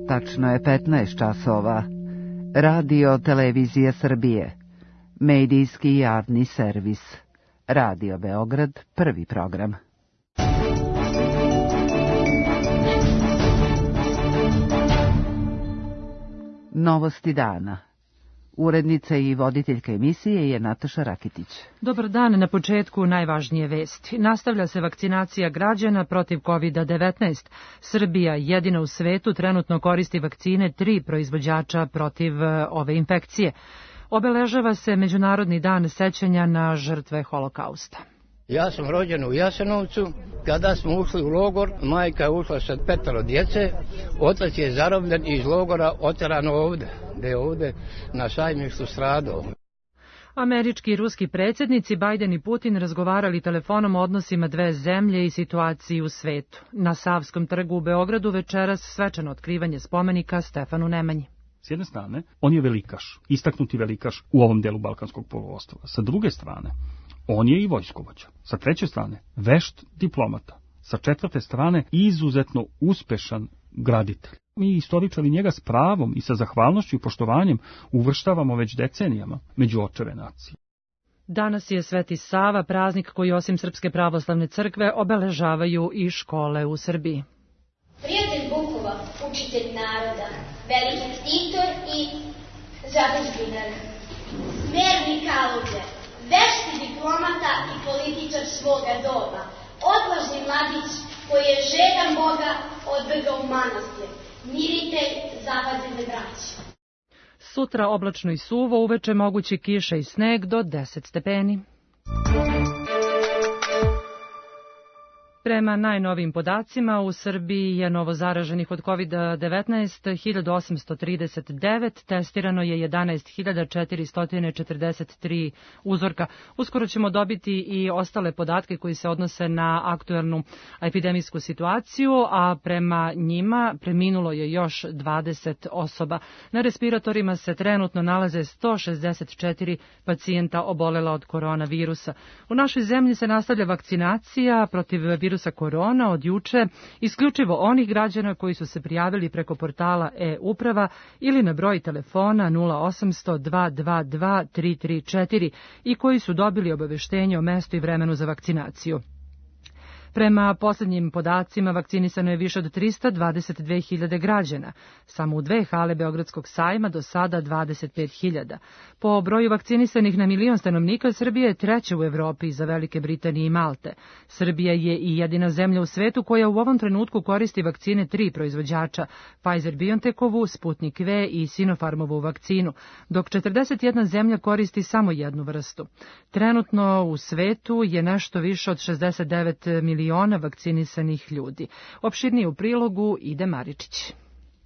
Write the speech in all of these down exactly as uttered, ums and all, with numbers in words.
Tačno je petnaest časova. Radio Televizija Srbije. Medijski javni servis. Radio Beograd, prvi program. Novosti dana. Urednica i voditeljka emisije je Nataša Rakitić. Dobar dan, na početku najvažnije vesti. Nastavlja se vakcinacija građana protiv kovid devetnaest. Srbija jedina u svetu trenutno koristi vakcine tri proizvođača protiv ove infekcije. Obeležava se Međunarodni dan sećanja na žrtve Holokausta. Ja sam rođen u Jasenovcu. Kada smo ušli u logor, majka je ušla sa petero djece, otac je zarobljen iz logora oteran ovde, gde je ovde na Sajmištu stradao. Američki i ruski predsjednici Biden i Putin razgovarali telefonom o odnosima dve zemlje i situaciji u svetu. Na Savskom trgu u Beogradu večeras svečano otkrivanje spomenika Stefanu Nemanji. S jedne strane, on je velikaš, istaknuti velikaš u ovom delu Balkanskog poluostrva. Sa druge strane, on je i vojskovođa. Sa treće strane, vešt diplomata. Sa četvrte strane, izuzetno uspešan graditelj. Mi istoričari njega s pravom i sa zahvalnošću i poštovanjem uvrštavamo već decenijama među očeve nacije. Danas je Sveti Sava, praznik koji osim Srpske pravoslavne crkve obeležavaju i škole u Srbiji. Prijatelj Bukova, učitelj naroda, veliki ktitor i zadužbinar, smerni kaludje, vešti diplomata i političar svoga doba, odvažni mladić koji je žedan Boga odbegao manastir, miritelj zapadne braće. Sutra oblačno i suvo, uveče mogući kiša i sneg do deset stepeni. Prema najnovijim podacima, u Srbiji je novo zaraženih od kovid devetnaest hiljadu osamsto trideset devet, testirano je jedanaest hiljada četiristo četrdeset tri uzorka. Uskoro ćemo dobiti i ostale podatke koji se odnose na aktuelnu epidemijsku situaciju, a prema njima preminulo je još dvadeset osoba. Na respiratorima se trenutno nalaze sto šezdeset četiri pacijenta obolela od koronavirusa. U našoj zemlji se nastavlja vakcinacija protiv virusa korona od juče, isključivo onih građana koji su se prijavili preko portala e-uprava ili na broj telefona nula osamsto dva dva dva tri tri četiri i koji su dobili obaveštenje o mestu i vremenu za vakcinaciju. Prema posljednjim podacima vakcinisano je više od trista dvadeset dve hiljade građana. Samo u dve hale Beogradskog sajma do sada dvadeset pet hiljada. Po broju vakcinisanih na milion stanovnika Srbija je treća u Evropi iza Velike Britanije i Malte. Srbija je i jedina zemlja u svetu koja u ovom trenutku koristi vakcine tri proizvođača, Pfizer-BioNTechovu, Sputnik V i Sinopharmovu vakcinu, dok četrdeset jedna zemlja koristi samo jednu vrstu. Trenutno u svetu je nešto više od šezdeset devet miliona miliona vakcinisanih ljudi. Opširnije u prilogu Ide Maričić.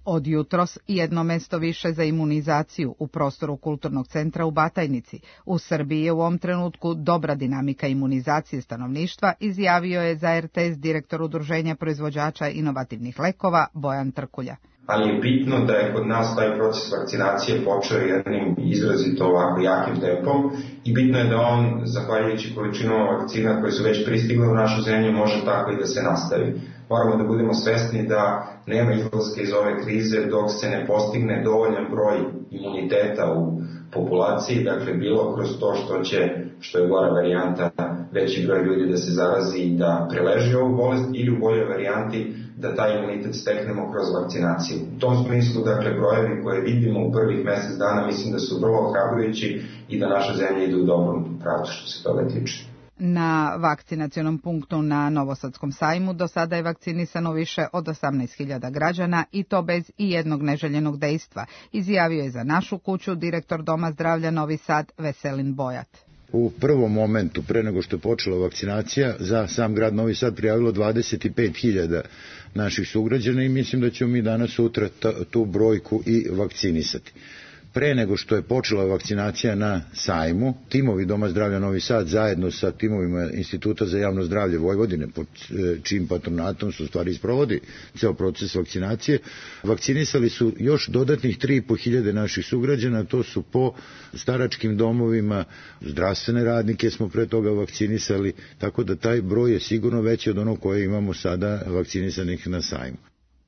Od jutros jedno mesto više za imunizaciju u prostoru Kulturnog centra u Batajnici. U Srbiji je u ovom trenutku dobra dinamika imunizacije stanovništva, izjavio je za er te es direktor Udruženja proizvođača inovativnih lekova Bojan Trkulja. Ali je bitno da je kod nas taj proces vakcinacije počeo jednim izrazito ovako jakim tempom i bitno je da on, zahvaljujući količinom vakcina koje su već pristigle u našu zemlju, može tako i da se nastavi. Moramo da budemo svesni da nema izlaska iz ove krize dok se ne postigne dovoljan broj imuniteta u populaciji, dakle bilo kroz to što će, što je gora varijanta, veći broj ljudi da se zarazi i da preleži ovu bolest ili u boljoj varijanti da taj imunitet steknemo kroz vakcinaciju. U tom smislu, dakle, brojevi koje vidimo u prvih mjesec dana mislim da su vrlo ohrabrujući i da naša zemlja ide u dobrom pravcu što se toga tiče. Na vakcinacionom punktu na Novosadskom sajmu do sada je vakcinisano više od osamnaest hiljada građana i to bez i jednog neželjenog dejstva, izjavio je za Našu kuću direktor Doma zdravlja Novi Sad Veselin Bojat. U prvom momentu, pre nego što je počela vakcinacija, za sam grad Novi Sad prijavilo dvadeset pet hiljada naših sugrađana i mislim da ćemo mi danas sutra tu brojku i vakcinisati. Pre nego što je počela vakcinacija na sajmu, timovi Doma zdravlja Novi Sad zajedno sa timovima Instituta za javno zdravlje Vojvodine, pod čijim patronatom su stvari isprovodi ceo proces vakcinacije, vakcinisali su još dodatnih tri i po hiljade naših sugrađana, to su po staračkim domovima, zdravstvene radnike smo pre toga vakcinisali, tako da taj broj je sigurno veći od onog koje imamo sada vakcinisanih na sajmu.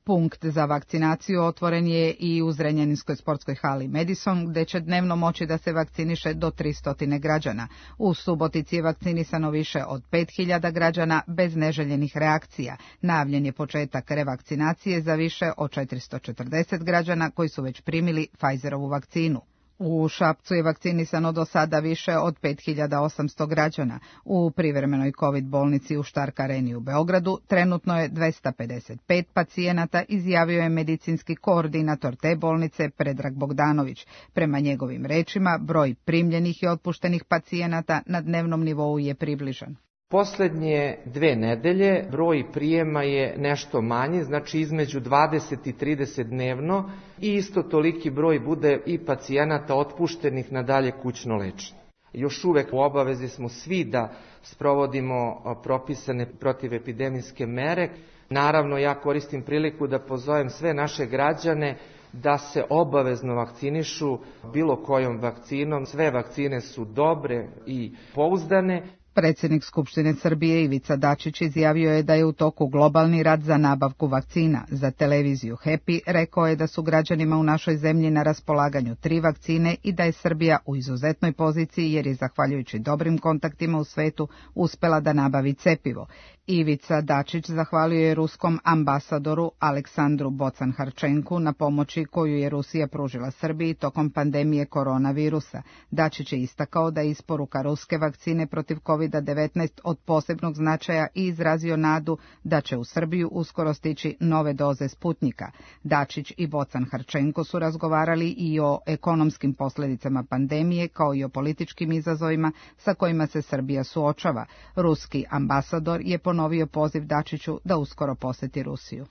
Punkt za vakcinaciju otvoren je i u Zrenjaninskoj sportskoj hali Madison, gde će dnevno moći da se vakciniše do tristo građana. U Subotici je vakcinisano više od pet hiljada građana bez neželjenih reakcija. Najavljen je početak revakcinacije za više od četiristo četrdeset građana koji su već primili Pfizerovu vakcinu. U Šapcu je vakcinisano do sada više od pet hiljada osamsto građana. U privremenoj COVID bolnici u Štark areni u Beogradu trenutno je dvesta pedeset pet pacijenata, izjavio je medicinski koordinator te bolnice Predrag Bogdanović. Prema njegovim rečima, broj primljenih i otpuštenih pacijenata na dnevnom nivou je približan. Poslednje dve nedelje broj prijema je nešto manji, znači između dvadeset i trideset dnevno i isto toliki broj bude i pacijenata otpuštenih na dalje kućno lečenje. Još uvek u obavezi smo svi da sprovodimo propisane protivepidemijske mere. Naravno, ja koristim priliku da pozovem sve naše građane da se obavezno vakcinišu bilo kojom vakcinom. Sve vakcine su dobre i pouzdane. Predsjednik Skupštine Srbije Ivica Dačić izjavio je da je u toku globalni rat za nabavku vakcina. Za televiziju Happy rekao je da su građanima u našoj zemlji na raspolaganju tri vakcine i da je Srbija u izuzetnoj poziciji jer je zahvaljujući dobrim kontaktima u svetu uspela da nabavi cepivo. Ivica Dačić zahvalio je ruskom ambasadoru Aleksandru Bocan-Harčenku na pomoći koju je Rusija pružila Srbiji tokom pandemije koronavirusa. Dačić je istakao da je isporuka ruske vakcine protiv kovid devetnaest od posebnog značaja i izrazio nadu da će u Srbiju uskoro stići nove doze Sputnjika. Dačić i Bocan-Harčenko su razgovarali i o ekonomskim posljedicama pandemije kao i o političkim izazovima sa kojima se Srbija suočava. Ruski ambasador je ponovio poziv Dačiću da uskoro poseti Rusiju.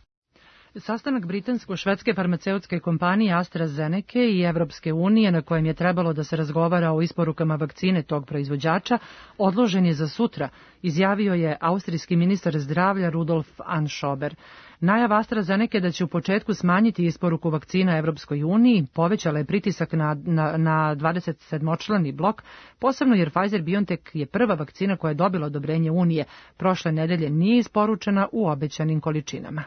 Sastanak britansko-švedske farmaceutske kompanije AstraZeneca i Evropske unije, na kojem je trebalo da se razgovara o isporukama vakcine tog proizvođača, odložen je za sutra, izjavio je austrijski ministar zdravlja Rudolf Anschober. Najava AstraZeneca da će u početku smanjiti isporuku vakcina Evropskoj uniji povećala je pritisak na, na, na dvadeset sedmočlani blok, posebno jer Pfizer-BioNTech je prva vakcina koja je dobila odobrenje Unije. Prošle nedelje nije isporučena u obećanim količinama.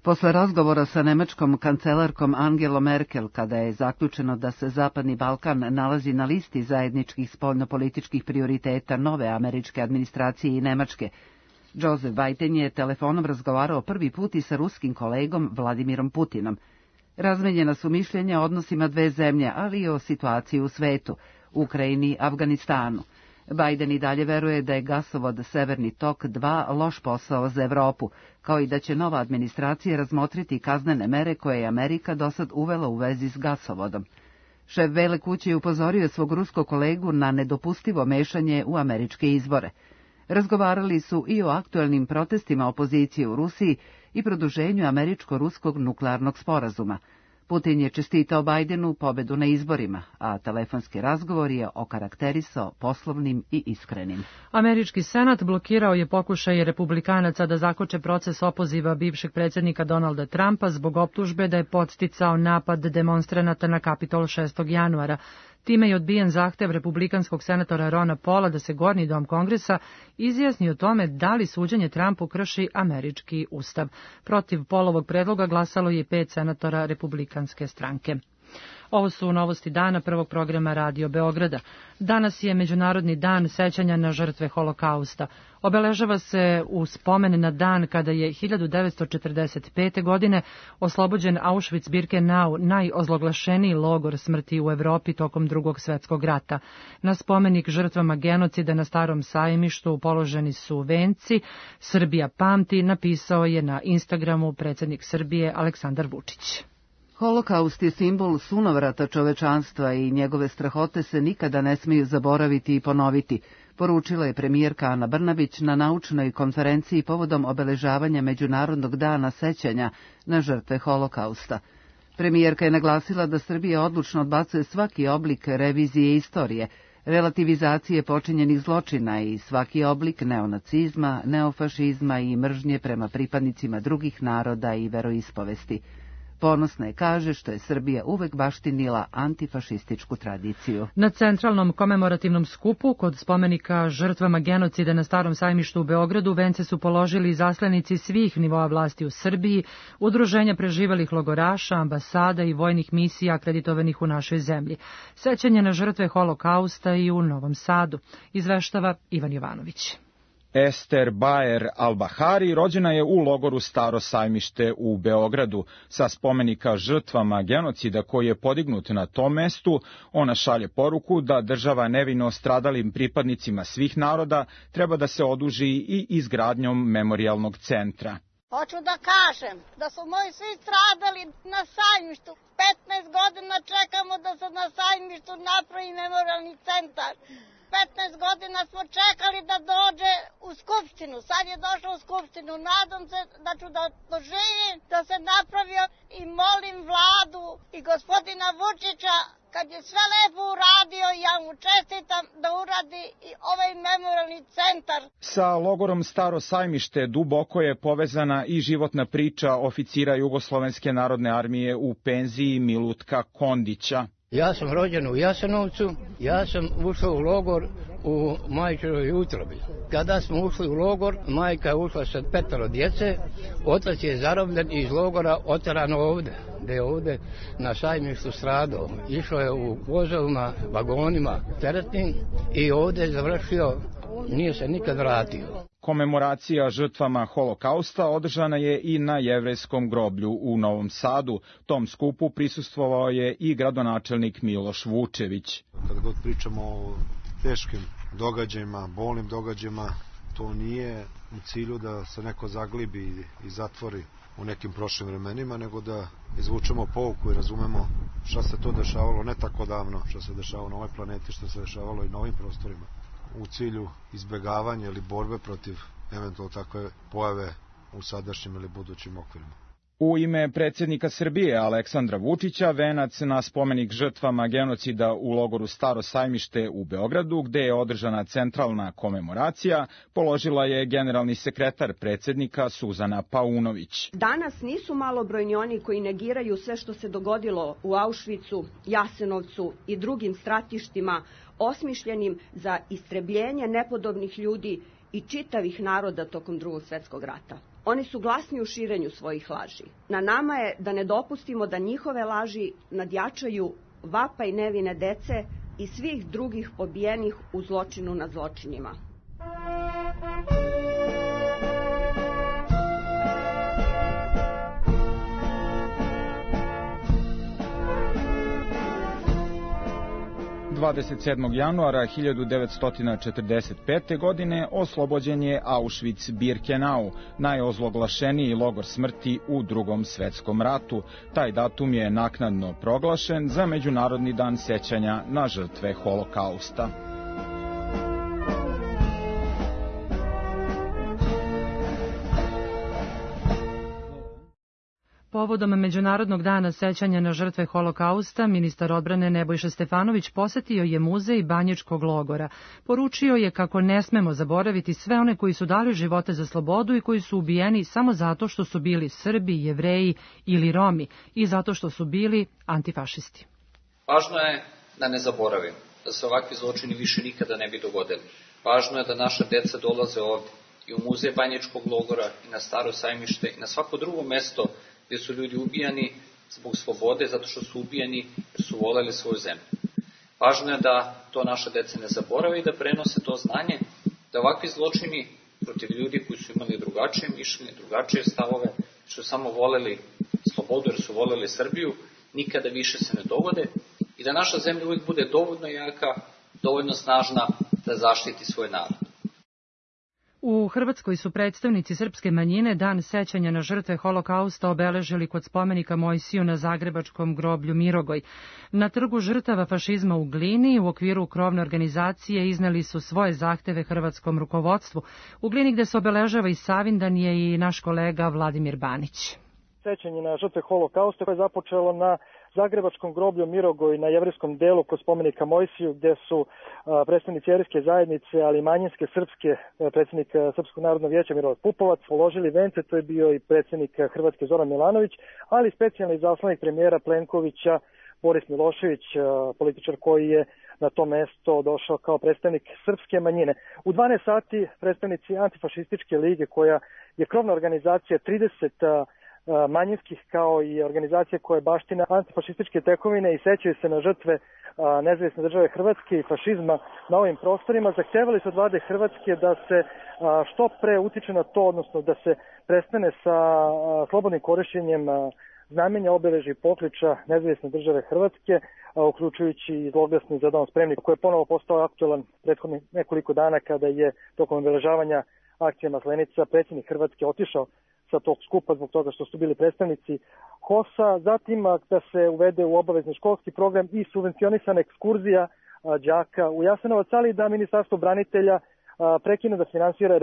Posle razgovora sa nemačkom kancelarkom Angelom Merkel, kada je zaključeno da se Zapadni Balkan nalazi na listi zajedničkih spoljnopolitičkih prioriteta nove američke administracije i Nemačke, Joseph Biden je telefonom razgovarao prvi put i sa ruskim kolegom Vladimirom Putinom. Razmenjena su mišljenja o odnosima dve zemlje, ali i o situaciji u svetu, Ukrajini i Afganistanu. Biden i dalje veruje da je gasovod Severni tok dva loš posao za Evropu, kao i da će nova administracija razmotriti kaznene mere koje je Amerika dosad uvela u vezi s gasovodom. Šef Bele kuće je upozorio svog ruskog kolegu na nedopustivo mešanje u američke izbore. Razgovarali su i o aktuelnim protestima opozicije u Rusiji i produženju američko-ruskog nuklearnog sporazuma. Putin je čestitao Bajdenu pobedu na izborima, a telefonski razgovor je okarakterisao poslovnim i iskrenim. Američki senat blokirao je pokušaj republikanaca da zakoče proces opoziva bivšeg predsjednika Donalda Trumpa zbog optužbe da je podsticao napad demonstranata na Kapitol šestog januara. Time je odbijen zahtev republikanskog senatora Rona Paula da se Gornji dom Kongresa izjasni o tome da li suđenje Trumpu krši američki ustav. Protiv Paulovog predloga glasalo je pet senatora republikanske stranke. Ovo su novosti dana prvog programa Radio Beograda. Danas je Međunarodni dan sećanja na žrtve Holokausta. Obeležava se u spomen na dan kada je hiljadu devetsto četrdeset pete. godine oslobođen Auschwitz-Birkenau, najozloglašeniji logor smrti u Evropi tokom Drugog svjetskog rata. Na spomenik žrtvama genocida na Starom sajmištu položeni su venci. Srbija pamti, napisao je na Instagramu predsjednik Srbije Aleksandar Vučić. Holokaust je simbol sunovrata čovečanstva i njegove strahote se nikada ne smiju zaboraviti i ponoviti, poručila je premijerka Ana Brnabić na naučnoj konferenciji povodom obeležavanja Međunarodnog dana sećanja na žrtve Holokausta. Premijerka je naglasila da Srbija odlučno odbacuje svaki oblik revizije istorije, relativizacije počinjenih zločina i svaki oblik neonacizma, neofašizma i mržnje prema pripadnicima drugih naroda i veroispovesti. Ponosna je, kaže, što je Srbija uvek baštinila antifašističku tradiciju. Na centralnom komemorativnom skupu kod spomenika žrtvama genocida na Starom sajmištu u Beogradu vence su položili zaslenici svih nivoa vlasti u Srbiji, udruženja preživelih logoraša, ambasada i vojnih misija akreditovanih u našoj zemlji. Sećanje na žrtve Holokausta i u Novom Sadu, izveštava Ivan Jovanović. Ester Baer Al-Bahari rođena je u logoru Staro sajmište u Beogradu. Sa spomenika žrtvama genocida koji je podignut na tom mestu, ona šalje poruku da država nevino stradalim pripadnicima svih naroda treba da se oduži i izgradnjom memorijalnog centra. Hoću da kažem da su moji svi stradali na sajmištu. petnaest godina čekamo da se na sajmištu napravi memorijalni centar. petnaest godina smo čekali da dođe u Skupštinu. Sad je došao u Skupštinu. Nadam se da ću da doživim da se napravio i molim vladu i gospodina Vučića, kad je sve lepo uradio, ja mu čestitam da uradi i ovaj memorijalni centar. Sa logorom Staro sajmište duboko je povezana i životna priča oficira Jugoslovenske narodne armije u penziji Milutka Kondića. Ja sam rođen u Jasenovcu, ja sam ušao u logor u majčinovoj utrobi. Kada smo ušli u logor, majka je ušla sa petero djece, otac je zarobljen iz logora oteran ovde, gde je ovde na sajmištu stradao. Išao je u vozovima, vagonima teretnim i ovde je završio, nije se nikad vratio. Komemoracija žrtvama Holokausta održana je i na jevrejskom groblju u Novom Sadu. Tom skupu prisustvovao je i gradonačelnik Miloš Vučević. Kad god pričamo o teškim događajima, bolnim događajima, to nije u cilju da se neko zaglibi i zatvori u nekim prošlim vremenima, nego da izvučemo pouku i razumemo šta se to dešavalo ne tako davno, šta se dešavalo na ovoj planeti, šta se dešavalo i na ovim prostorima, u cilju izbegavanja ili borbe protiv eventualno takve pojave u sadašnjim ili budućim okvirima. U ime predsjednika Srbije Aleksandra Vučića venac na spomenik žrtvama genocida u logoru Staro sajmište u Beogradu, gde je održana centralna komemoracija, položila je generalni sekretar predsjednika Suzana Paunović. Danas nisu malobrojni oni koji negiraju sve što se dogodilo u Auschwitzu, Jasenovcu i drugim stratištima osmišljenim za istrebljenje nepodobnih ljudi i čitavih naroda tokom Drugog svjetskog rata. Oni su glasni u širenju svojih laži. Na nama je da ne dopustimo da njihove laži nadjačaju vapaj nevine dece i svih drugih pobijenih u zločinu nad zločinima. dvadeset sedmog januara hiljadu devetsto četrdeset pete. godine oslobođen je Auschwitz-Birkenau, najozloglašeniji logor smrti u Drugom svetskom ratu. Taj datum je naknadno proglašen za Međunarodni dan sećanja na žrtve Holokausta. Povodom Međunarodnog dana sećanja na žrtve Holokausta, ministar odbrane Nebojša Stefanović posetio je muzej Banjičkog logora. Poručio je kako ne smemo zaboraviti sve one koji su dali živote za slobodu i koji su ubijeni samo zato što su bili Srbi, Jevreji ili Romi i zato što su bili antifašisti. Važno je da ne zaboravimo, da se ovakvi zločini više nikada ne bi dogodili. Važno je da naša deca dolaze ovdje i u muzej Banjičkog logora i na Staro sajmište i na svako drugo mesto gdje su ljudi ubijani zbog slobode, zato što su ubijani jer su voljeli svoju zemlju. Važno je da to naša deca ne zaborave i da prenose to znanje, da ovakvi zločini protiv ljudi koji su imali drugačije mišljenje, drugačije stavove, što su samo voljeli slobodu jer su voljeli Srbiju, nikada više se ne dogode i da naša zemlja uvijek bude dovoljno jaka, dovoljno snažna da zaštiti svoj narod. U Hrvatskoj su predstavnici srpske manjine dan sećanja na žrtve Holokausta obeležili kod spomenika Mojsiju na zagrebačkom groblju Mirogoj. Na trgu žrtava fašizma u Glini u okviru krovne organizacije izneli su svoje zahteve hrvatskom rukovodstvu. U Glini gde se obeležava i Savindan je i naš kolega Vladimir Banić. Sećanje na žrtve Holokausta koje je započelo na Zagrebačkom groblju Mirogoj na jevrijskom delu kod spomenika Mojsiju, gde su predstavnici jevrijske zajednice, ali i manjinske srpske, predsjednik Srpskog narodnog vijeća Milorad Pupovac, položili vence. To je bio i predsjednik Hrvatske Zoran Milanović, ali specijalni izaslanik premijera Plenkovića Boris Milošević, političar koji je na to mesto došao kao predstavnik srpske manjine. U dvanaest sati predstavnici Antifašističke lige, koja je krovna organizacija trideset manjinskih, kao i organizacija koja je baština antifašističke tekovine i sećaju se na žrtve nezavisne države Hrvatske i fašizma na ovim prostorima, zahtevali su od vlade Hrvatske da se što pre utiče na to, odnosno da se prestane sa slobodnim korišćenjem znamenja, obeležja i pokliča nezavisne države Hrvatske, uključujući i zloglasni Za dom spremni, koji je ponovo postao aktualan prethodnih nekoliko dana kada je tokom obeležavanja akcije Maslenica predsjednik Hrvatske otišao sa tog skupa zbog toga što su bili predstavnici H O S-a. Zatim da se uvede u obavezni školski program i subvencionisana ekskurzija đaka u Jasenovac, ali da Ministarstvo branitelja prekine da finansira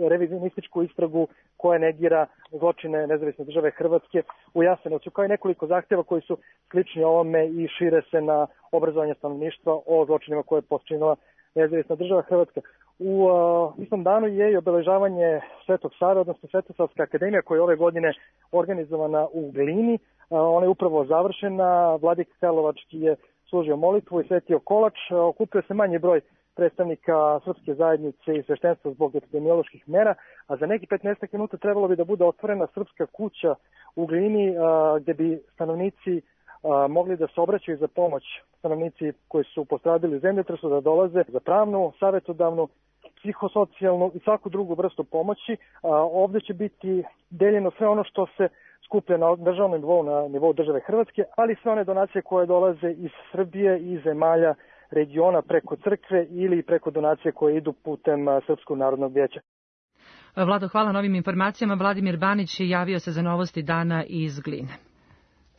revizionističku istragu koja negira zločine nezavisne države Hrvatske u Jasenovcu, kao i nekoliko zahtjeva koji su slični ovome i šire se na obrazovanje stanovništva o zločinima koje je počinila nezavisna država Hrvatska. U uh, istom danu je i obeležavanje Svetog Save, odnosno Svetosavska akademija, koja je ove godine organizovana u Glini. Uh, ona je upravo završena, Vladika Karlovački je služio molitvu i svetio kolač. Uh, okupio se manji broj predstavnika srpske zajednice i sveštenstva zbog epidemioloških mera, a za neki petnaest minuta trebalo bi da bude otvorena srpska kuća u Glini, uh, gde bi stanovnici uh, mogli da se obraćaju za pomoć, stanovnici koji su postradili u zemljotresu, da dolaze za pravnu, savjetodavnu, psihosocijalnu i svaku drugu vrstu pomoći. A, ovdje će biti deljeno sve ono što se skuplja na državnom nivou, na nivou države Hrvatske, ali sve one donacije koje dolaze iz Srbije i zemalja regiona preko crkve ili preko donacije koje idu putem Srpskog narodnog vijeća. Vlado, hvala na ovim informacijama. Vladimir Banić javio se za novosti dana iz Gline.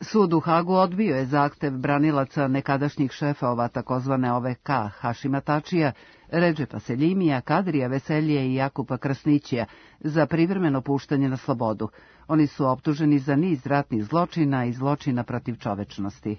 Sud u Hagu odbio je zahtev branilaca nekadašnjih šefova takozvane O V K Hašima Tačija, Redžepa Seljimija, Kadrija Veselije i Jakupa Krasnićija za privremeno puštanje na slobodu. Oni su optuženi za niz ratnih zločina i zločina protiv čovečnosti.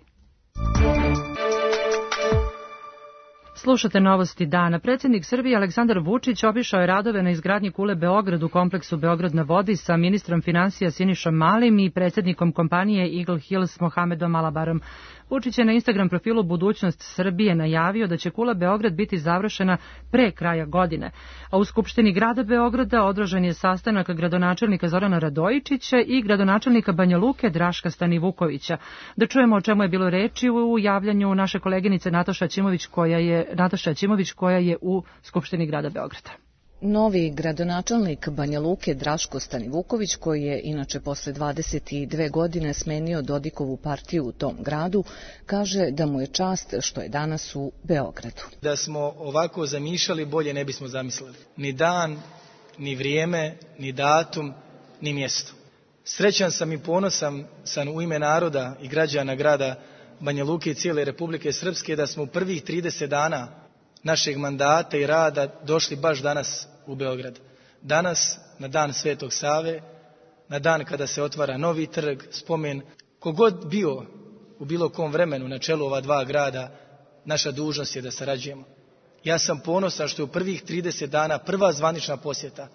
Slušate novosti dana. Predsjednik Srbije Aleksandar Vučić obišao je radove na izgradnji kule Beograd u kompleksu Beograd na vodi sa ministrom finansija Sinišom Malim i predsjednikom kompanije Eagle Hills Mohamedom Alabarom. Vučić je na Instagram profilu Budućnost Srbije najavio da će kula Beograd biti završena pre kraja godine. A u Skupštini grada Beograda održan je sastanak gradonačelnika Zorana Radojičića i gradonačelnika Banja Luke Draška Stanivukovića. Da čujemo o čemu je bilo reči u javljanju naše koleginice Nataša Ćimović koja je, Nataša Ćimović koja je u Skupštini grada Beograda. Novi gradonačelnik Banja Luke Draško Stanivuković, koji je inače posle dvadeset dve godine smenio Dodikovu partiju u tom gradu, kaže da mu je čast što je danas u Beogradu. Da smo ovako zamišljali, bolje ne bismo zamislili. Ni dan, ni vrijeme, ni datum, ni mjesto. Srećan sam i ponosan sam u ime naroda i građana grada Banja Luke i cijele Republike Srpske da smo u prvih trideset dana našeg mandata i rada došli baš danas u Beograd. Danas, na dan Svetog Save, na dan kada se otvara novi trg, spomen, kogod bio u bilo kom vremenu na čelu ova dva grada, naša dužnost je da sarađujemo. Ja sam ponosan što je u prvih trideset dana prva zvanična posjeta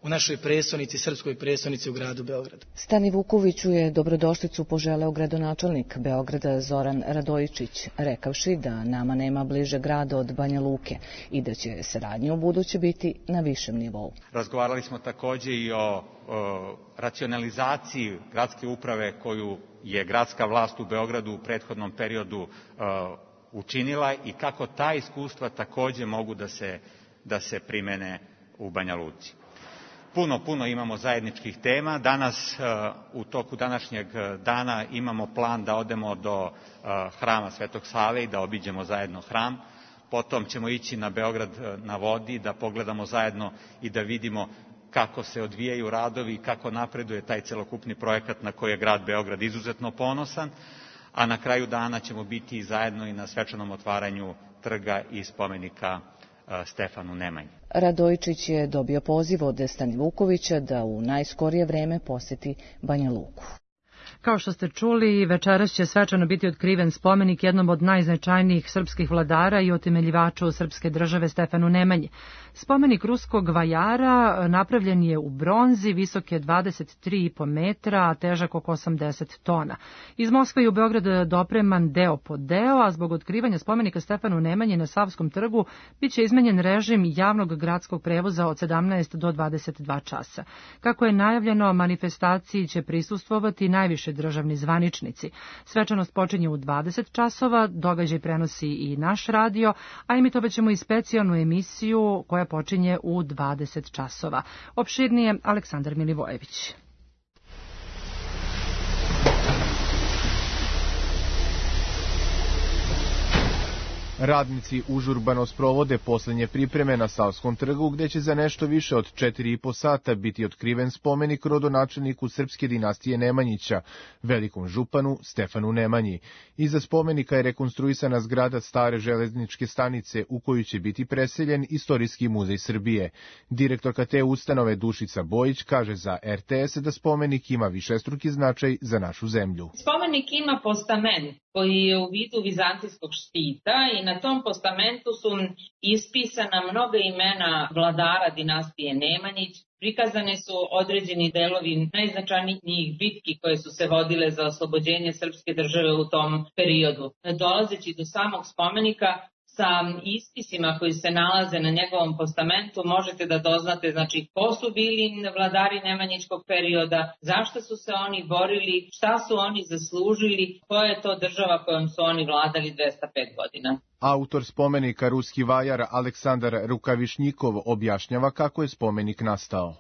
u našoj prestonici, srpskoj prestonici u gradu Beogradu. Stanivukoviću je dobrodošlicu poželeo gradonačelnik Beograda Zoran Radojičić, rekavši da nama nema bliže grada od Banja Luke i da će saradnja u buduće biti na višem nivou. Razgovarali smo takođe i o, o racionalizaciji gradske uprave koju je gradska vlast u Beogradu u prethodnom periodu o, učinila i kako ta iskustva takođe mogu da se, da se primene u Banja Luci. Puno, puno imamo zajedničkih tema. Danas, u toku današnjeg dana, imamo plan da odemo do hrama Svetog Save i da obiđemo zajedno hram. Potom ćemo ići na Beograd na vodi, da pogledamo zajedno i da vidimo kako se odvijaju radovi i kako napreduje taj celokupni projekat na koji je grad Beograd izuzetno ponosan. A na kraju dana ćemo biti zajedno i na svečanom otvaranju trga i spomenika Stefanu Nemanji. Radojičić je dobio poziv od Stanivukovića da u najskorije vreme poseti Banja Luku. Kao što ste čuli, večeras će svečano biti otkriven spomenik jednom od najznačajnijih srpskih vladara i utemeljivaču srpske države Stefanu Nemanji. Spomenik ruskog vajara napravljen je u bronzi, visok je dvadeset tri i po metra, a težak oko osamdeset tona. Iz Moskve i u Beograd dopreman deo po deo, a zbog otkrivanja spomenika Stefanu Nemanji na Savskom trgu biće izmenjen režim javnog gradskog prevoza od sedamnaest do dvadeset dva časa. Kako je najavljeno, manifestaciji će prisustvovati najviše državni zvaničnici. Svečanost počinje u dvadeset časova, događaj prenosi i naš radio, a emitovaćemo i specijalnu emisiju koja počinje u dvadeset časova. Opširnije Aleksandar Milivojević. Radnici užurbano sprovode poslednje pripreme na Savskom trgu, gde će za nešto više od četiri i po sata biti otkriven spomenik rodonačelniku srpske dinastije Nemanjića, velikom županu Stefanu Nemanji. Iza spomenika je rekonstruisana zgrada stare železničke stanice u koju će biti preseljen Istorijski muzej Srbije. Direktorka te ustanove Dušica Bojić kaže za er te es da spomenik ima višestruki značaj za našu zemlju. Spomenik ima postament koji je u vidu vizantijskog štita i na tom postamentu su ispisana mnoga imena vladara dinastije Nemanjić. Prikazane su određeni delovi najznačajnijih bitki koje su se vodile za oslobođenje srpske države u tom periodu. Dolazeći do samog spomenika, sa ispisima koji se nalaze na njegovom postamentu možete da doznate znači ko su bili vladari Nemanjićkog perioda, zašto su se oni borili, šta su oni zaslužili, koja je to država kojom su oni vladali dvesta pet godina. Autor spomenika, ruski vajar Aleksandar Rukavišnjikov, objašnjava kako je spomenik nastao.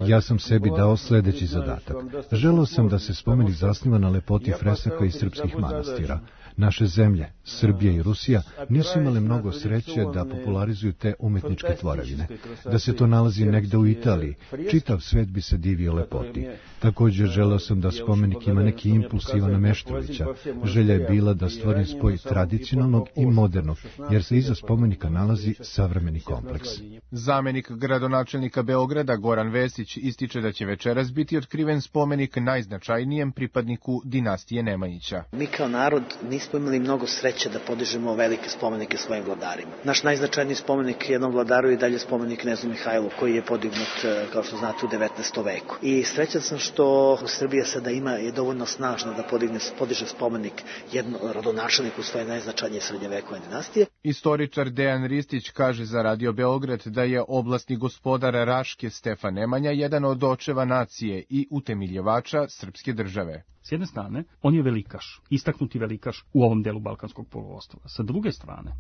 Ja sam sebi dao sledeći zadatak. Želeo sam da se spomenik zasniva na lepoti fresaka iz srpskih manastira. Naše zemlje, Srbija i Rusija, nisu imale mnogo sreće da popularizuju te umetničke tvorevine. Da se to nalazi negde u Italiji, čitav svet bi se divio lepoti. Također želeo sam da spomenik ima neki impuls Ivana Meštrovića. Želja je bila da stvorim spoj tradicionalnog i modernog, jer se iza spomenika nalazi savremeni kompleks. Zamenik gradonačelnika Beograda Goran Vesić ističe da će večeras biti otkriven spomenik najznačajnijem pripadniku dinastije Nemanjića. Mi kao narod nismo imali mnogo sreće da podižemo velike spomenike svojim vladarima. Naš najznačajniji spomenik jednom vladaru je dalje spomenik Knezu Mihajlu, koji je podignut, kao što znate, u devetnaestom veku. I srećan sam što Srbija sada ima je dovoljno snažna da podigne, podiže spomenik jednom rodonačelniku svoje najznačajnije srednjevekovne dinastije. Istoričar Dejan Ristić kaže za Radio Beograd da je oblasni gospodar Raške Stefan Nemanja jedan od očeva nacije i utemeljivača srpske države. S jedne strane, on je velikaš, istaknuti velikaš u ovom delu Balkanskog poluostrva. Sa druge strane,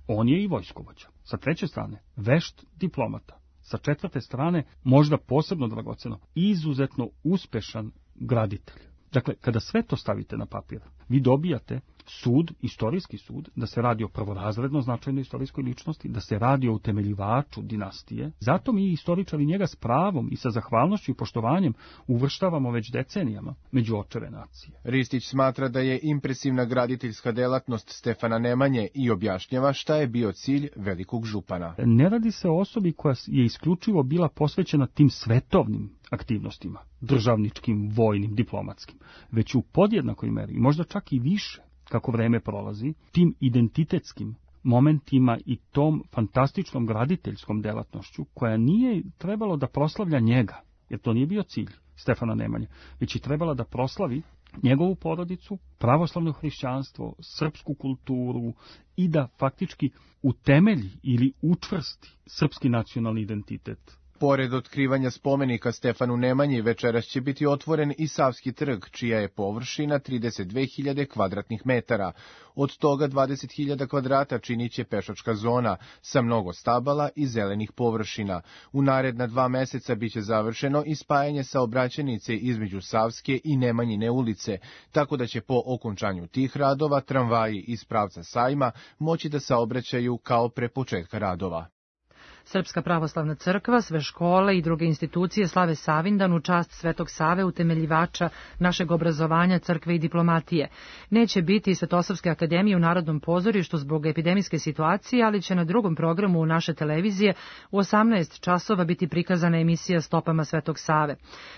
on je i vojskovođa. Sa treće strane, vešt diplomata. Sa četvrte strane, možda posebno dragoceno, izuzetno uspešan graditelj. Dakle, kada sve to stavite na papir, vi dobijate sud, istorijski sud, da se radi o prvorazredno značajnoj istorijskoj ličnosti, da se radi o utemeljivaču dinastije. Zato mi istoričari njega s pravom i sa zahvalnošću i poštovanjem uvrštavamo već decenijama među očeve nacije. Ristić smatra da je impresivna graditeljska delatnost Stefana Nemanje i objašnjava šta je bio cilj velikog župana. Ne radi se o osobi koja je isključivo bila posvećena tim svetovnim aktivnostima, državničkim, vojnim, diplomatskim, već u podjednakoj meri, možda čak i više, kako vreme prolazi, tim identitetskim momentima i tom fantastičnom graditeljskom delatnošću, koja nije trebalo da proslavlja njega, jer to nije bio cilj Stefana Nemanje, već je trebala da proslavi njegovu porodicu, pravoslavno hrišćanstvo, srpsku kulturu i da faktički utemelji ili učvrsti srpski nacionalni identitet. Pored otkrivanja spomenika Stefanu Nemanji, večeras će biti otvoren i Savski trg, čija je površina trideset dve hiljade kvadratnih metara. Od toga dvadeset hiljada kvadrata činit će pešačka zona, sa mnogo stabala i zelenih površina. U naredna dva meseca biće završeno i spajanje saobraćajnice između Savske i Nemanjine ulice, tako da će po okončanju tih radova tramvaji iz pravca Sajma moći da saobraćaju kao pre početka radova. Srpska pravoslavna crkva, sve škole i druge institucije slave Savindan u čast Svetog Save, utemeljivača našeg obrazovanja, crkve i diplomatije. Neće biti Svetosavske akademije u Narodnom pozorištu zbog epidemijske situacije, ali će na drugom programu naše televizije u osamnaest časova biti prikazana emisija Stopama Svetog Save.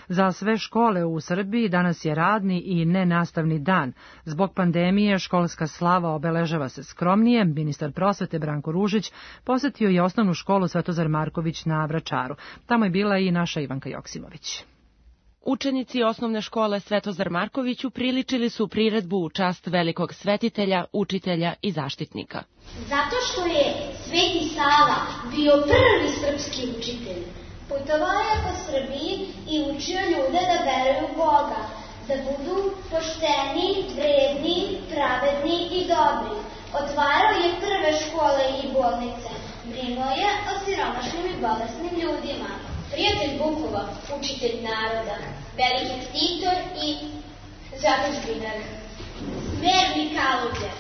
Za sve škole u Srbiji danas je radni i nenastavni dan. Zbog pandemije školska slava obeležava se skromnije. Ministar prosvete Branko Ružić posetio je osnovnu školu Svetozar Marković na Vračaru. Tamo je bila i naša Ivanka Joksimović. Učenici osnovne škole Svetozar Marković upriličili su priredbu u čast velikog svetitelja, učitelja i zaštitnika. Zato što je Sveti Sava bio prvi srpski učitelj. Putovao je po Srbiji i učio ljude da veruju u Boga, da budu pošteni, vredni, pravedni i dobri. Otvarao je prve škole i bolnice. Brinuo je o siromašnim i bolesnim ljudima. Prijatelj Vukova, učitelj naroda, veliki ktitor i zadužbinar. Smerni Kaluđer,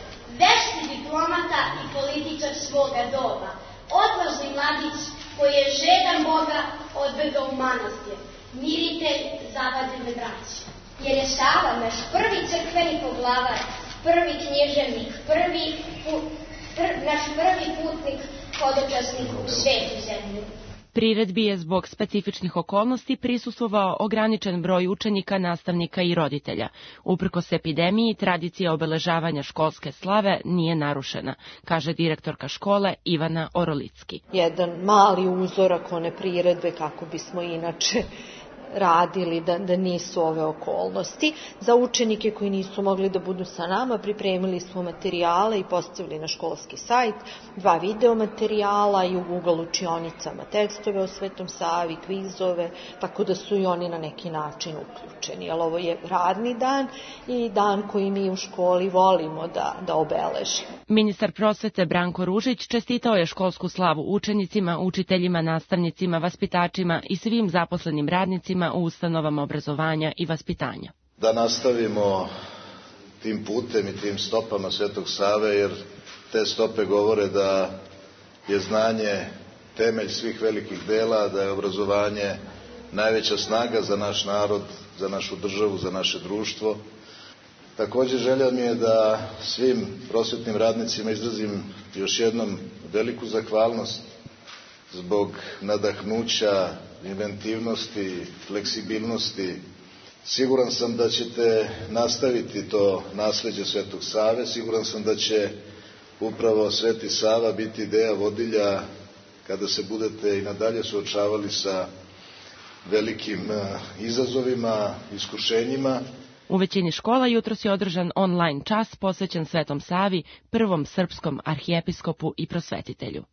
vešti diplomata i političar svoga doba. Odvažni mladić koji je žedan Boga odbegao u manastir. Miritelj zavadine braće. Jer je Sava naš prvi crkveni poglavar, prvi književnik, prvi put, pr, naš prvi putnik, hodočasnik u svetu zemlju. Priredbi je zbog specifičnih okolnosti prisustvovao ograničen broj učenika, nastavnika i roditelja. Uprkos epidemiji, tradicija obeležavanja školske slave nije narušena, kaže direktorka škole Ivana Orolicki. Jedan mali uzorak one priredbe kako bismo inače radili da, da nisu ove okolnosti. Za učenike koji nisu mogli da budu sa nama pripremili smo materijale i postavili na školski sajt, dva video materijala i u Google učionicama tekstove o Svetom Savi, kvizove, tako da su i oni na neki način uključeni. Jer ovo je radni dan i dan koji mi u školi volimo da, da obeležimo. Ministar prosvete Branko Ružić čestitao je školsku slavu učenicima, učiteljima, nastavnicima, vaspitačima i svim zaposlenim radnicima u ustanovama obrazovanja i vaspitanja. Da nastavimo tim putem i tim stopama Svetog Save, jer te stope govore da je znanje temelj svih velikih dela, da je obrazovanje najveća snaga za naš narod, za našu državu, za naše društvo. Također želja mi je da svim prosvetnim radnicima izrazim još jednom veliku zahvalnost zbog nadahnuća, inventivnosti, fleksibilnosti. Siguran sam da ćete nastaviti to nasleđe Svetog Save, siguran sam da će upravo Sveti Sava biti ideja vodilja kada se budete i nadalje suočavali sa velikim izazovima, iskušenjima. U većini škola jutros je održan online čas posvećen Svetom Savi, prvom srpskom arhijepiskopu i prosvetitelju.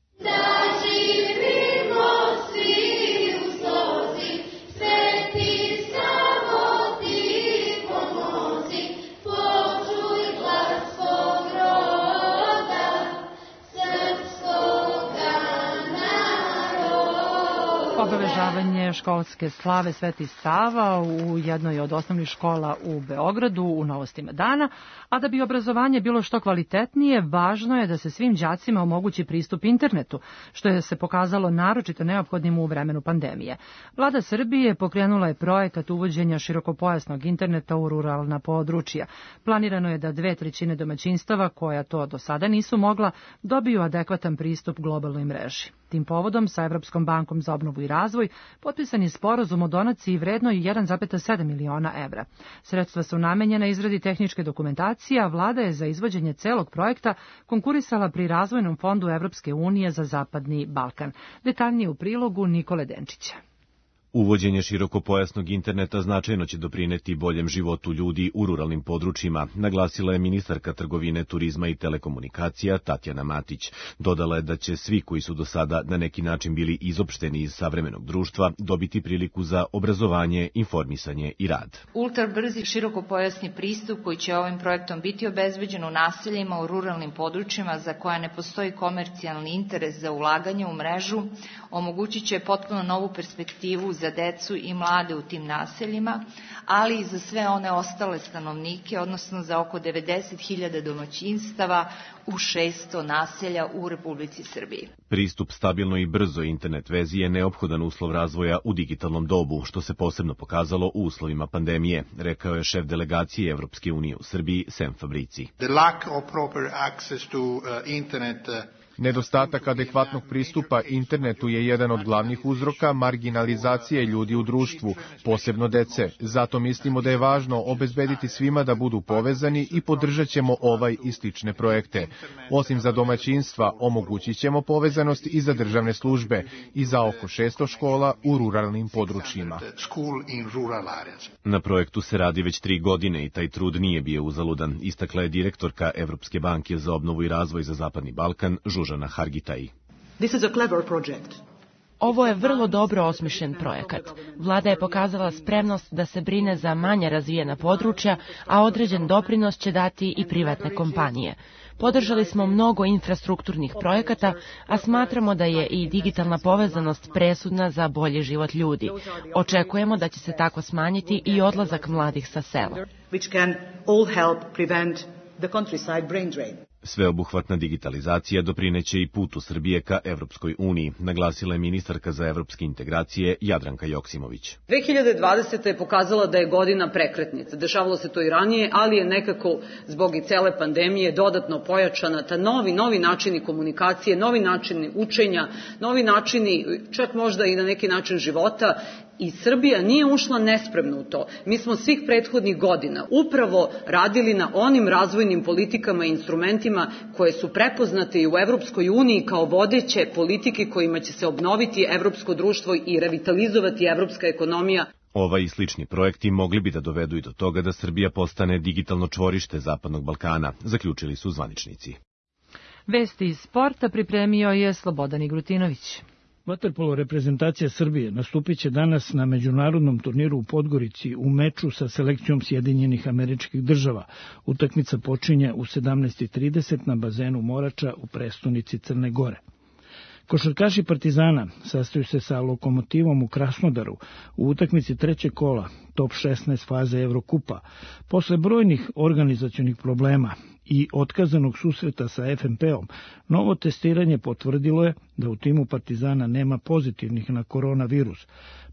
Obeležavanje školske slave Sveti Sava u jednoj od osnovnih škola u Beogradu u Novostima dana, a da bi obrazovanje bilo što kvalitetnije, važno je da se svim đacima omogući pristup internetu, što je se pokazalo naročito neophodnim u vremenu pandemije. Vlada Srbije pokrenula je projekat uvođenja širokopojasnog interneta u ruralna područja. Planirano je da dve trećine domaćinstava, koja to do sada nisu mogla, dobiju adekvatan pristup globalnoj mreži. Tim povodom sa Evropskom bankom za obnovu i razvoj potpisan je sporazum o donaciji vrednoj jedan zarez sedam miliona evra. Sredstva su namenjena izradi tehničke dokumentacije, a vlada je za izvođenje celog projekta konkurisala pri Razvojnom fondu Evropske unije za Zapadni Balkan. Detaljnije u prilogu Nikole Denčića. Uvođenje širokopojasnog interneta značajno će doprineti boljem životu ljudi u ruralnim područjima, naglasila je ministarka trgovine, turizma i telekomunikacija Tatjana Matić. Dodala je da će svi koji su do sada na neki način bili izopšteni iz savremenog društva dobiti priliku za obrazovanje, informisanje i rad. Ultrabrzi širokopojasni pristup koji će ovim projektom biti obezbeđen u naseljima u ruralnim područjima za koja ne postoji komercijalni interes za ulaganje u mrežu, omogućit će potpuno novu perspektivu za za decu i mlade u tim naseljima, ali i za sve one ostale stanovnike, odnosno za oko devedeset hiljada domaćinstava u šesto naselja u Republici Srbiji. Pristup stabilnoj i brzoj internet vezi je neophodan uslov razvoja u digitalnom dobu, što se posebno pokazalo u uslovima pandemije, rekao je šef delegacije Evropske unije u Srbiji, Sem Fabrici. The lack of proper access to uh, internet uh, Nedostatak adekvatnog pristupa internetu je jedan od glavnih uzroka marginalizacije ljudi u društvu, posebno dece. Zato mislimo da je važno obezbediti svima da budu povezani i podržat ćemo ovaj i slične projekte. Osim za domaćinstva, omogućit ćemo povezanost i za državne službe i za oko šesto škola u ruralnim područjima. Na projektu se radi već tri godine i taj trud nije bio uzaludan, istakla je direktorka Evropske banke za obnovu i razvoj za Zapadni Balkan, Žužana Hargitaj. Ovo je vrlo dobro osmišljen projekat. Vlada je pokazala spremnost da se brine za manje razvijena područja, a određen doprinos će dati i privatne kompanije. Podržali smo mnogo infrastrukturnih projekata, a smatramo da je i digitalna povezanost presudna za bolji život ljudi. Očekujemo da će se tako smanjiti i odlazak mladih sa sela. Sveobuhvatna digitalizacija doprineće i putu Srbije ka Evropskoj uniji, naglasila je ministarka za evropske integracije Jadranka Joksimović. dve hiljade dvadeseta. je pokazala da je godina prekretnica. Dešavalo se to i ranije, ali je nekako zbog i cele pandemije dodatno pojačana ta novi, novi načini komunikacije, novi načini učenja, novi načini, čak možda i na neki način života. I Srbija nije ušla nespremno u to. Mi smo svih prethodnih godina upravo radili na onim razvojnim politikama i instrumentima koje su prepoznate i u Evropskoj uniji kao vodeće politike kojima će se obnoviti evropsko društvo i revitalizovati evropska ekonomija. Ovaj i slični projekti mogli bi da dovedu i do toga da Srbija postane digitalno čvorište Zapadnog Balkana, zaključili su zvaničnici. Vesti iz sporta pripremio je Slobodan Igrutinović. Vaterpolo reprezentacija Srbije nastupit će danas na međunarodnom turniru u Podgorici u meču sa selekcijom Sjedinjenih Američkih Država. Utakmica počinje u sedamnaest i trideset na bazenu Morača u prestonici Crne Gore. Košarkaši Partizana sastaju se sa Lokomotivom u Krasnodaru u utakmici trećeg kola top šesnaest faze Evrokupa. Posle brojnih organizacionih problema i otkazanog susreta sa F M P-om, novo testiranje potvrdilo je da u timu Partizana nema pozitivnih na koronavirus,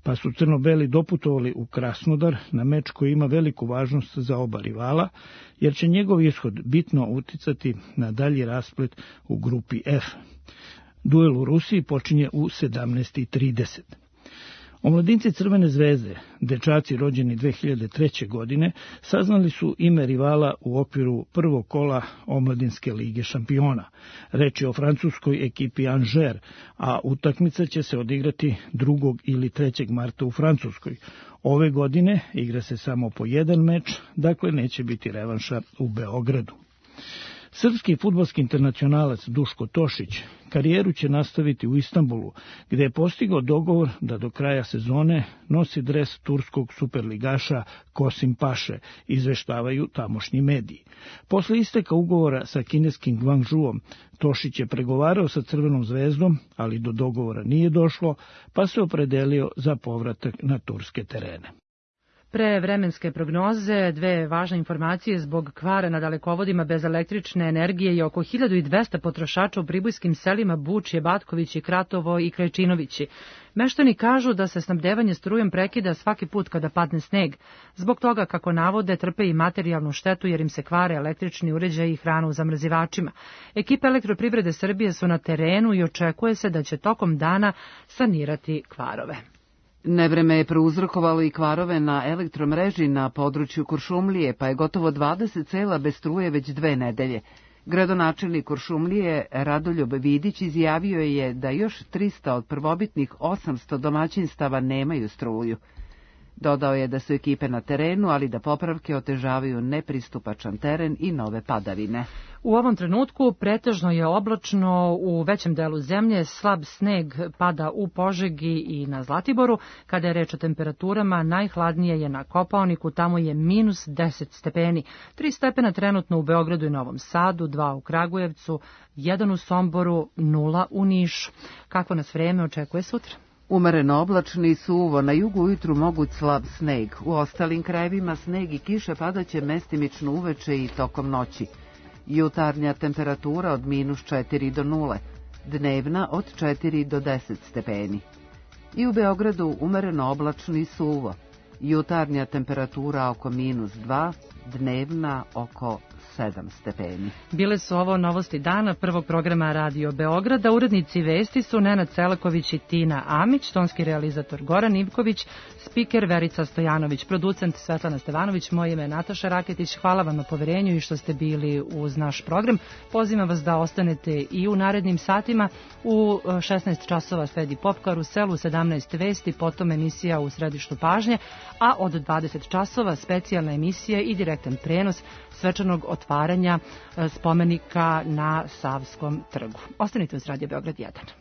pa su crno-beli doputovali u Krasnodar na meč koji ima veliku važnost za oba rivala, jer će njegov ishod bitno uticati na dalji rasplet u grupi F. Duel u Rusiji počinje u sedamnaest i trideset. Omladinci Crvene zvezde, dečaci rođeni dve hiljade treće. godine, saznali su ime rivala u okviru prvog kola Omladinske lige šampiona. Reč je o francuskoj ekipi Angers, a utakmica će se odigrati drugog ili trećeg marta u Francuskoj. Ove godine igra se samo po jedan meč, dakle neće biti revanša u Beogradu. Srpski fudbalski internacionalac Duško Tošić karijeru će nastaviti u Istanbulu, gde je postigao dogovor da do kraja sezone nosi dres turskog superligaša Kosim Paše, izveštavaju tamošnji mediji. Posle isteka ugovora sa kineskim Guangzhouom, Tošić je pregovarao sa Crvenom zvezdom, ali do dogovora nije došlo, pa se opredelio za povratak na turske terene. Pre vremenske prognoze, dve važne informacije zbog kvara na dalekovodima bez električne energije i oko hiljadu dvesta potrošača u pribojskim selima Bučje, Batkovići, Kratovo i Krajčinovići. Meštani kažu da se snabdevanje strujem prekida svaki put kada padne sneg. Zbog toga, kako navode, trpe i materijalnu štetu jer im se kvare električni uređaji i hrana u zamrzivačima. Ekipe Elektroprivrede Srbije su na terenu i očekuje se da će tokom dana sanirati kvarove. Nevreme je prouzrokovalo i kvarove na elektromreži na području Kuršumlije, pa je gotovo dvadeset sela bez struje već dve nedelje. Gradonačelnik Kuršumlije Radoljub Vidić izjavio je da još trista od prvobitnih osamsto domaćinstava nemaju struju. Dodao je da su ekipe na terenu, ali da popravke otežavaju nepristupačan teren i nove padavine. U ovom trenutku pretežno je oblačno u većem delu zemlje, slab sneg pada u Požegi i na Zlatiboru. Kada je reč o temperaturama, najhladnije je na Kopaoniku, tamo je minus deset stepeni. tri stepena trenutno u Beogradu i Novom Sadu, dva u Kragujevcu, jedan u Somboru, nula u Nišu. Kakvo nas vreme očekuje sutra? Umereno oblačno i suvo, na jugu ujutru moguć slab sneg. U ostalim krajevima sneg i kiše padaće mestimično uveče i tokom noći. Jutarnja temperatura od minus četiri do nule, dnevna od četiri do deset stepeni. I u Beogradu umereno oblačno i suvo. Jutarnja temperatura oko minus dva, dnevna oko sedam stepeni. Bile su ovo novosti dana prvog programa Radio Beograda. Urednici vesti su Nenad Celaković i Tina Amić, tonski realizator Goran Ivković, spiker Verica Stojanović, producent Svetlana Stevanović, moje ime je Nataša Raketić. Hvala vam na poverenju i što ste bili uz naš program. Pozivam vas da ostanete i u narednim satima. U šesnaest časova sledi Pop Karusel, u sedamnaest vesti, potom emisija U središtu pažnje, a od dvadeset časova specijalna emisija i direktan prenos svečanog otvaranja spomenika na Savskom trgu. Ostanite uz Radio Beograd jedan.